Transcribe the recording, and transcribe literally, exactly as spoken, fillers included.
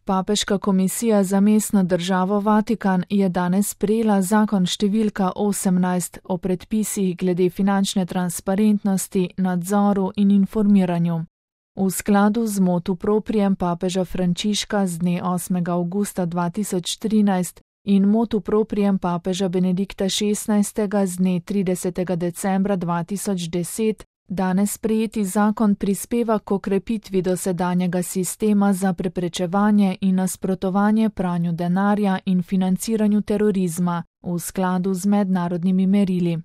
Papeška komisija za mestno državo Vatikan je danes sprejela zakon številka osemnajst o predpisih glede finančne transparentnosti, nadzoru in informiranju. V skladu z motu proprijem papeža Frančiška z dne osmega avgusta dva tisoč trinajst in motu proprijem papeža Benedikta šestnajstega z dne tridesetega decembra dva tisoč deset, danes sprejeti zakon prispeva k okrepitvi dosedanjega sistema za preprečevanje in nasprotovanje pranju denarja in financiranju terorizma v skladu z mednarodnimi merili.